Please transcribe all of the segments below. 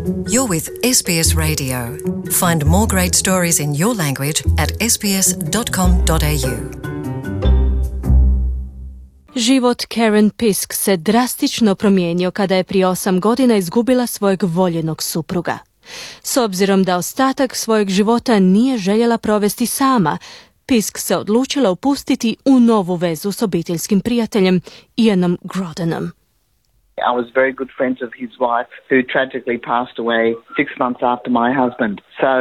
You're with SBS Radio. Find more great stories in your language at sbs.com.au. Život Karen Pisk se drastično promijenio kada je prije 8 godina izgubila svojeg voljenog supruga. S obzirom da ostatak svojeg života nije željela provesti sama, Pisk se odlučila upustiti u novu vezu s obiteljskim prijateljem Ianom Grodenom. I was very good friends of his wife, who tragically passed away 6 months after my husband. So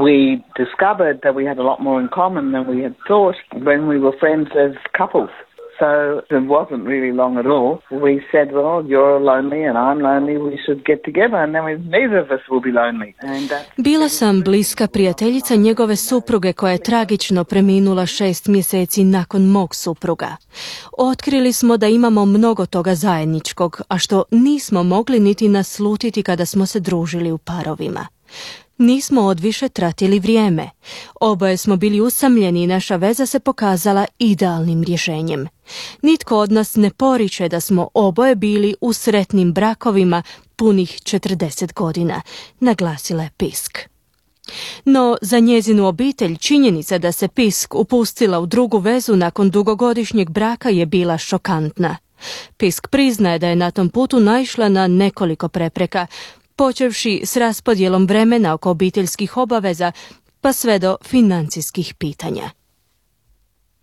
we discovered that we had a lot more in common than we had thought when we were friends as couples. So it wasn't really long at all. We said, well, you're lonely and I'm lonely, we should get together and then neither of us will be lonely. Bila sam bliska prijateljica njegove supruge koja je tragično preminula 6 mjeseci nakon mog supruga. Otkrili smo da imamo mnogo toga zajedničkog, a što nismo mogli niti naslutiti kada smo se družili u parovima. Nismo odviše tratili vrijeme. Oboje smo bili usamljeni i naša veza se pokazala idealnim rješenjem. Nitko od nas ne poriče da smo oboje bili u sretnim brakovima punih 40 godina, naglasila je Pisk. No, za njezinu obitelj činjenica da se Pisk upustila u drugu vezu nakon dugogodišnjeg braka je bila šokantna. Pisk priznaje da je na tom putu naišla na nekoliko prepreka, počevši s raspodjelom vremena oko obiteljskih obaveza, pa sve do financijskih pitanja.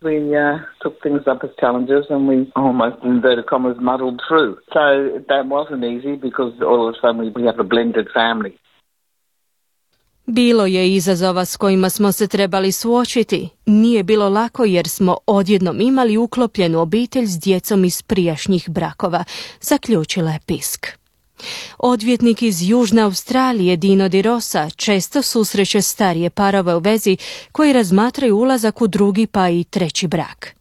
We took things up as challenges and we almost, in inverted commas, muddled through. So that wasn't easy because all of a sudden we have a blended family. Bilo je izazova s kojima smo se trebali suočiti. Nije bilo lako jer smo odjednom imali uklopljenu obitelj s djecom iz prijašnjih brakova, zaključila je Pisk. Odvjetnik iz Južne Australije Dino Di Rosa često susreće starije parove u vezi koji razmatraju ulazak u drugi pa i treći brak.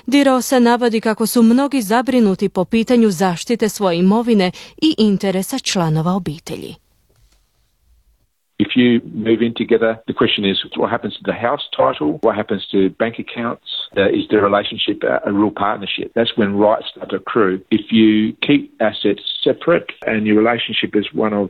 Di Rosa navodi kako su mnogi zabrinuti po pitanju zaštite svoje imovine i interesa članova obitelji. If you move in together, the question is what happens to the house title, what happens to bank accounts, is the relationship a real partnership? That's when rights start to accrue. If you keep assets separate and your relationship is one of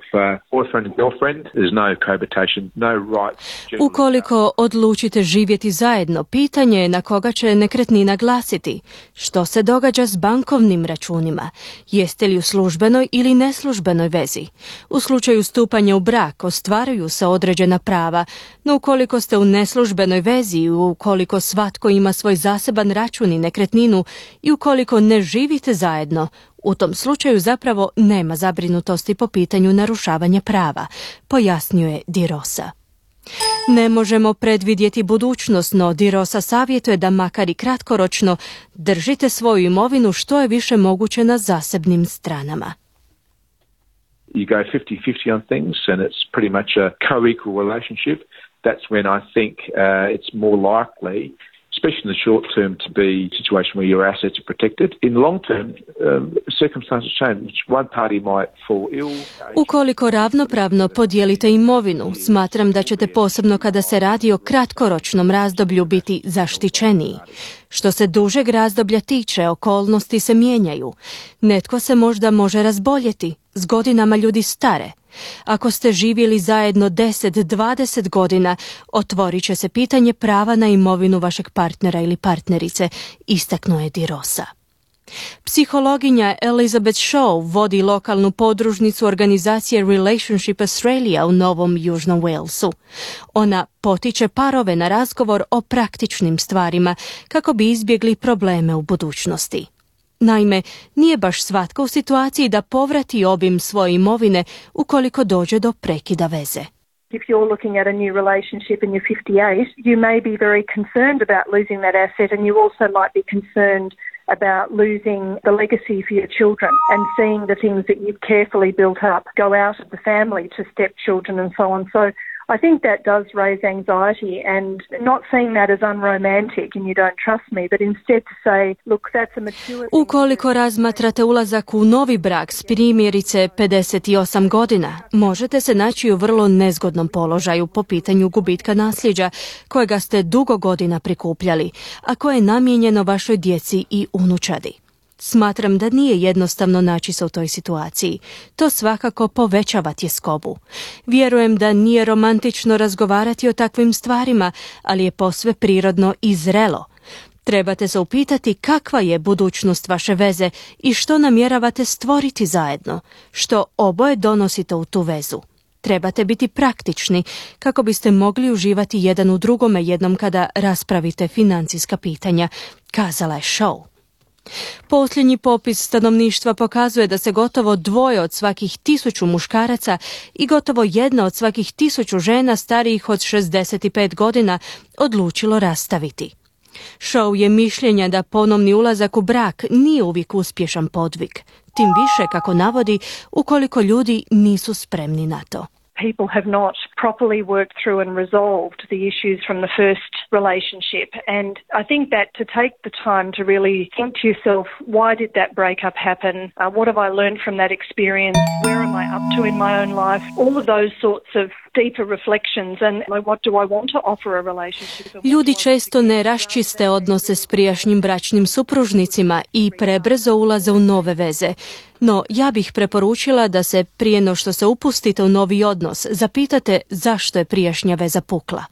boyfriend and girlfriend, there's no cohabitation, no rights. Ukoliko odlučite živjeti zajedno, pitanje je na koga će nekretnina glasiti. Što se događa s bankovnim računima? Jeste li u službenoj ili neslužbenoj vezi? U slučaju stupanja u brak ostvaruju se određena prava, no ukoliko ste u neslužbenoj vezi, ukoliko svatko ima svoj zaseban račun i nekretninu i ukoliko ne živite zajedno, u tom slučaju zapravo nema zabrinutosti po pitanju narušavanja prava, pojasnio je Di Rosa. Ne možemo predvidjeti budućnost, no Di Rosa savjetuje da makar i kratkoročno držite svoju imovinu što je više moguće na zasebnim stranama. You go 50-50 on things and it's pretty much a co-equal relationship. That's when I think it's more likely, especially in the short term, to be a situation where your assets are protected. In the long term, circumstances change. One party might fall ill. Ukoliko ravnopravno podijelite imovinu, smatram da ćete posebno kada se radi o kratkoročnom razdoblju biti zaštićeniji. Što se dužeg razdoblja tiče, okolnosti se mijenjaju. Netko se možda može razboljeti, s godinama ljudi stare. Ako ste živjeli zajedno 10-20 godina, otvorit će se pitanje prava na imovinu vašeg partnera ili partnerice, istaknuo je Di Rosa. Psihologinja Elizabeth Shaw vodi lokalnu podružnicu organizacije Relationship Australia u Novom Južnom Walesu. Ona potiče parove na razgovor o praktičnim stvarima kako bi izbjegli probleme u budućnosti. Naime, nije baš svatko u situaciji da povrati obim svoje imovine ukoliko dođe do prekida veze. If you're looking at a new relationship and you're 58, you may be very concerned about losing that asset and you also might be concerned about losing the legacy for your children and seeing the things that you've carefully built up go out of the family to stepchildren and so on. So I think that does raise anxiety and not seeing that as unromantic and you don't trust me, but instead to say, look, that's a mature... Ukoliko razmatrate ulazak u novi brak s primjerice 58 godina, možete se naći u vrlo nezgodnom položaju po pitanju gubitka nasljeđa kojega ste dugo godina prikupljali, a koje je namijenjeno vašoj djeci i unučadi. Smatram da nije jednostavno naći se u toj situaciji. To svakako povećava tjeskobu. Vjerujem da nije romantično razgovarati o takvim stvarima, ali je posve prirodno i zrelo. Trebate se upitati kakva je budućnost vaše veze i što namjeravate stvoriti zajedno, što oboje donosite u tu vezu. Trebate biti praktični kako biste mogli uživati jedan u drugome jednom kada raspravite financijska pitanja, kazala je Shaw. Posljednji popis stanovništva pokazuje da se gotovo 2 od svakih 1000 muškaraca i gotovo 1 od svakih 1000 žena starijih od 65 godina odlučilo rastaviti. Shaw je mišljenja da ponovni ulazak u brak nije uvijek uspješan podvig, tim više, kako navodi, ukoliko ljudi nisu spremni na to. People have not properly worked through and resolved the issues from the first relationship. And I think that to take the time to really think to yourself, why did that breakup happen? What have I learned from that experience? Where am I up to in my own life? All of those sorts of deeper reflections and what do I want to offer a relationship? Ljudi često ne raščiste odnose s prijašnjim bračnim supružnicima i prebrzo ulaze u nove veze. No, ja bih preporučila da se prije no što se upustite u novi odnos zapitate zašto je prijašnja veza pukla.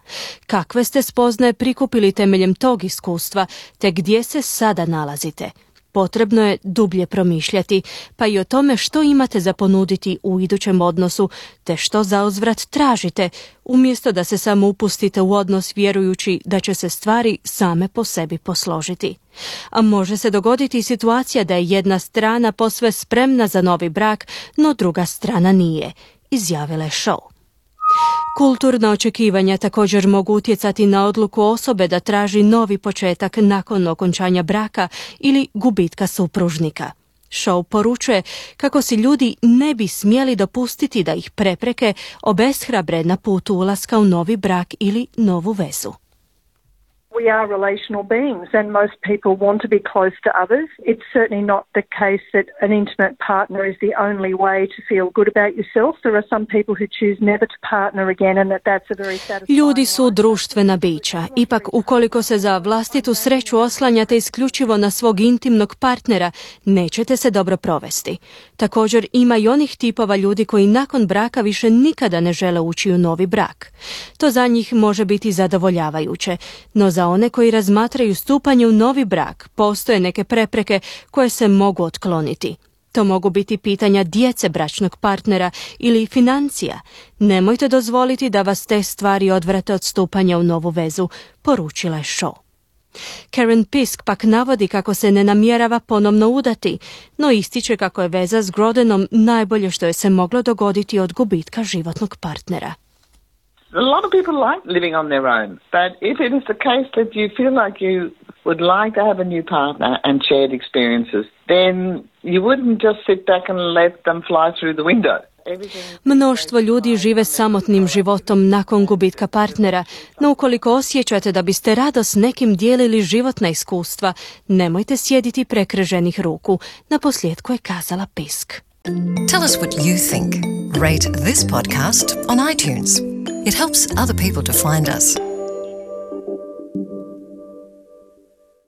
Kakve ste spoznaje prikupili temeljem tog iskustva, te gdje se sada nalazite? Potrebno je dublje promišljati, pa i o tome što imate za ponuditi u idućem odnosu, te što zauzvrat tražite, umjesto da se samo upustite u odnos vjerujući da će se stvari same po sebi posložiti. A može se dogoditi situacija da je jedna strana posve spremna za novi brak, no druga strana nije, izjavila je Shaw. Kulturna očekivanja također mogu utjecati na odluku osobe da traži novi početak nakon okončanja braka ili gubitka supružnika. Shaw poručuje kako si ljudi ne bi smjeli dopustiti da ih prepreke obeshrabre na putu ulaska u novi brak ili novu vezu. We are relational beings and most people want to be close to others. It's certainly not the case that an intimate partner is the only way to feel good about yourself. There are some people who choose never to partner again and that's a very satisfying. Ljudi su društvena bića. Ipak, ukoliko se za vlastitu sreću oslanjate isključivo na svog intimnog partnera, nećete se dobro provesti. Također, ima i onih tipova ljudi koji nakon braka više nikada ne žele ući u novi brak. To za njih može biti zadovoljavajuće, no za one koji razmatraju stupanje u novi brak postoje neke prepreke koje se mogu otkloniti. To mogu biti pitanja djece bračnog partnera ili financija. Nemojte dozvoliti da vas te stvari odvrate od stupanja u novu vezu, poručila je Shaw. Karen Pisk pak navodi kako se ne namjerava ponovno udati, no ističe kako je veza s Grodenom najbolje što je se moglo dogoditi od gubitka životnog partnera. A lot of people like living on their own, but if it is the case that you feel like you would like to have a new partner and shared experiences, then you wouldn't just sit back and let them fly through the window. Mnoštvo ljudi žive samotnim životom nakon gubitka partnera, no ukoliko osjećate da biste rado s nekim dijelili životna iskustva, nemojte sjediti prekrženih ruku, naposljetku je kazala Pisk. Tell us what you think. Rate this podcast on iTunes. It helps other people to find us.